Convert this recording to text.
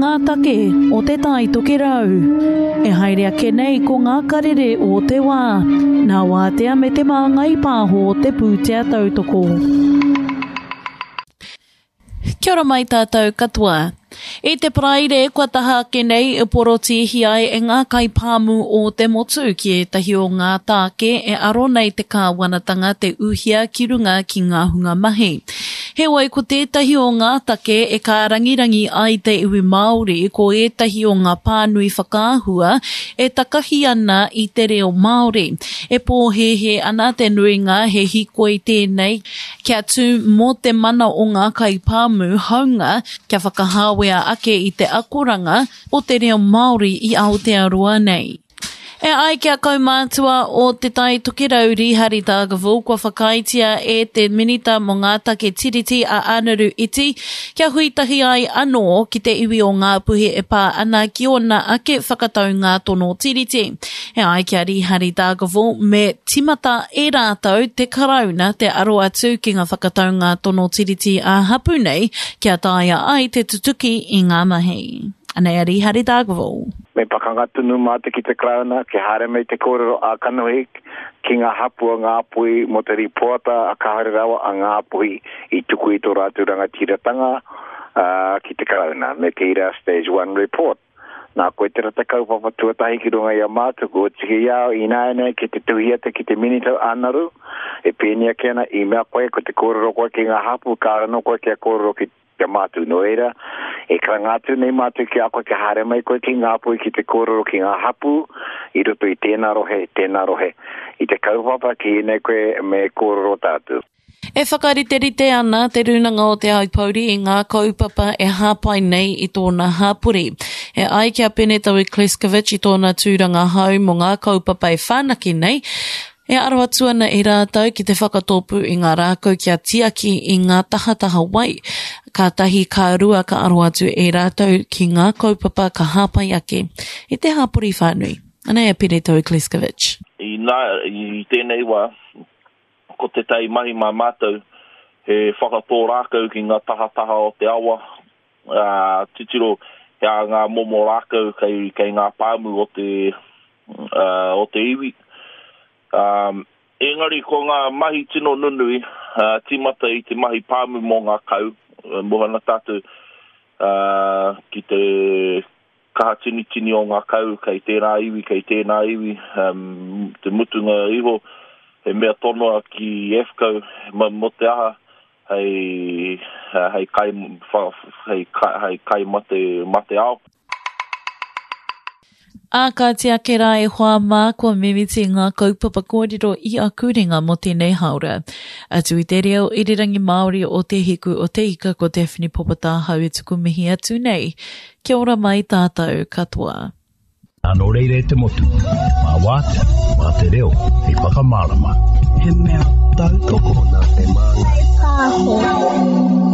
ngā take o Te Tai Tokerau. E haere ake nei ko ngā karere o te wā, nā Wātea me Te Māngai Pāho te pūtea tautoko. Kia ora mai tātou katoa. I te Paraire kua taha ake nei e porotīhi ai e ngā kaipāmu o te motu ki ētahi o ngā tāke e aro nei te kāwanatanga te uhia ki runga ki ngā hunga mahi. Heoi ko tētahi o ngā take e kārangirangi ai te iwi Māori ko ētahi o ngā pānui whakaahua e takahi ana i te reo Māori. E pōhēhē ana te nuinga he hikoi tēnei Kia tū mō te mana o ngā kaipāmu hāunga kia whakahāwea ake i te akoranga o te reo Māori i Aotearoa nei. E ai ki a kaumātua o Te Tai Tokerau Rīhari Dargaville kua whakaaetia e te Minita mō ngā Take Tiriti a Anaru Iti kia hui tahi ai anō ki te iwi o Ngāpuhi e pā ana ki ōna ake whakataunga tono Tiriti. E ai ki a Rīhari Dargaville, me tīmata e rātou te Karauna te aro atu ki ngā whakataunga tono tiriti ā-hapū nei kia taea ai te tutuki i ngā mahi. Anei a Rīhari Dargaville. Me pakanga tonu mātou ki te Karauna kia haere mai te kōrero ā-kanohi ki ngā hapū o Ngāpuhi mō te rīpoata a kāore rawa a Ngāpuhi i tuku i tō rātou rangatiratanga ki te Karauna me te ira Stage One Report. Nā, koe tera te kaupapa tuatahi ki runga i a mātou, kua oti ki a au ināianei ki te tuhi atu ki te Minita Anaru, e pēnei ake ana, i mea koe ko te kōrero koe ki ngā hapū, kāore anō koe kia kōrero ki a mātou. Nō reira, e karanga atu nei mātou ki a koe kia haere mai koe ki Ngāpuhi ki te kōrero ki ngā hapū i roto i tēnā rohe, tēnā rohe, i te kaupapa ki ēnei koe me kōrero tātou. E whakariterite ana Te Rūnanga o Te Aupōuri i ngā kaupapa e hāpai nei i tōna hāpori. E ai ki a Penetaui Kleskovic i tōna tūranga hou mō ngā kaupapa e whanake nei, e aro atu ana e rātou ki te whakatōpū i ngā rākau kia tiaki i ngā tahataha wai, kātahi ka rua ka aro atu e rātou ki ngā kaupapa ka hāpai ake i te hāpori whānui. Anei a Penetaui Kleskovic. Inā, i tēnei wā, Ko tētahi mahi mā mātou, he whakatō rākau ki ngā tahataha o te awa, ā, titiro he aha ngā momo rākau kei, kei ngā pāmu o te, ā, o te iwi. Ā, engari ko ngā mahi tino nunui, ā, tīmata i te mahi pāmu mō ngā kau, moe ana tātou, ā, ki te kaha tinitini o ngā kau kei tērā iwi, kei tēnā iwi, te mutunga iho he mea tonoa ki AFFCO mō te aha hei, hei kai, hei, hei kai mate, mate ao. Ā, kāti ake rā e hoa mā, kua mimiti ngā kaupapa kōrero i aku ringa mō tēnei hāora. Atu i te reo irirangi Māori o Te Hiku o Te Ika ko Daphne Popotāhau e tuku mihi atu nei. Kia ora mai tātou katoa. Nō reira e te motu, mā Wātea, mā te reo hei whakamārama. He mea tautoko nā Te Māngai Pāho.